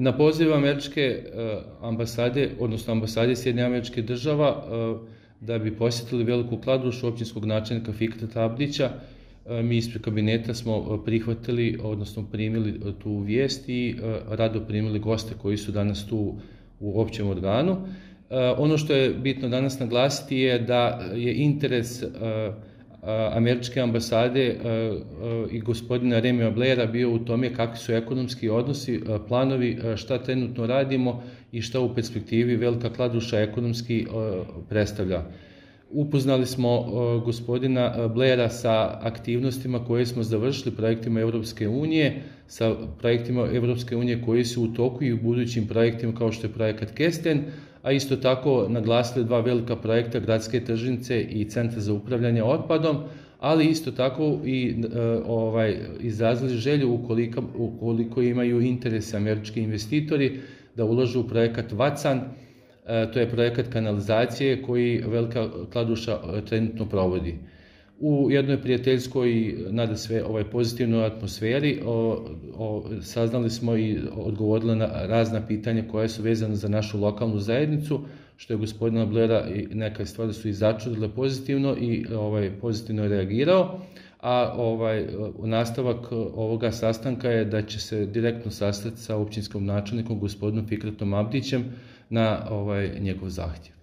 Na poziv američke ambasade, odnosno ambasade Sjedinjenih Američkih Država, da bi posjetili Veliku Kladušu općinskog načelnika Fikreta Abdića, mi ispred kabineta smo prihvatili, odnosno primili tu vijest i rado primili goste koji su danas tu u općem organu. Ono što je bitno danas naglasiti je da je interes američke ambasade i gospodina Remija Blaira bio u tome kakvi su ekonomski odnosi, planovi, šta trenutno radimo i šta u perspektivi Velika Kladuša ekonomski predstavlja. Upoznali smo gospodina Blaira sa aktivnostima koje smo završili projektima Evropske unije, sa projektima Evropske unije koji su u toku i u budućim projektima kao što je projekat Kesten, a isto tako naglasili dva velika projekta Gradske tržnice i Centra za upravljanje otpadom, ali isto tako i izrazili želju ukoliko imaju interese američki investitori da ulažu u projekat Vacan. To je projekat kanalizacije koji Velika Kladuša trenutno provodi. U jednoj prijateljskoj, nada sve pozitivnoj atmosferi, saznali smo i odgovorili na razna pitanja koja su vezane za našu lokalnu zajednicu, što je gospodina Blaira i neke stvari su i začudile pozitivno i pozitivno reagirao. A nastavak ovoga sastanka je da će se direktno sastati sa općinskim načelnikom gospodinom Fikretom Abdićem na njegov zahtjev.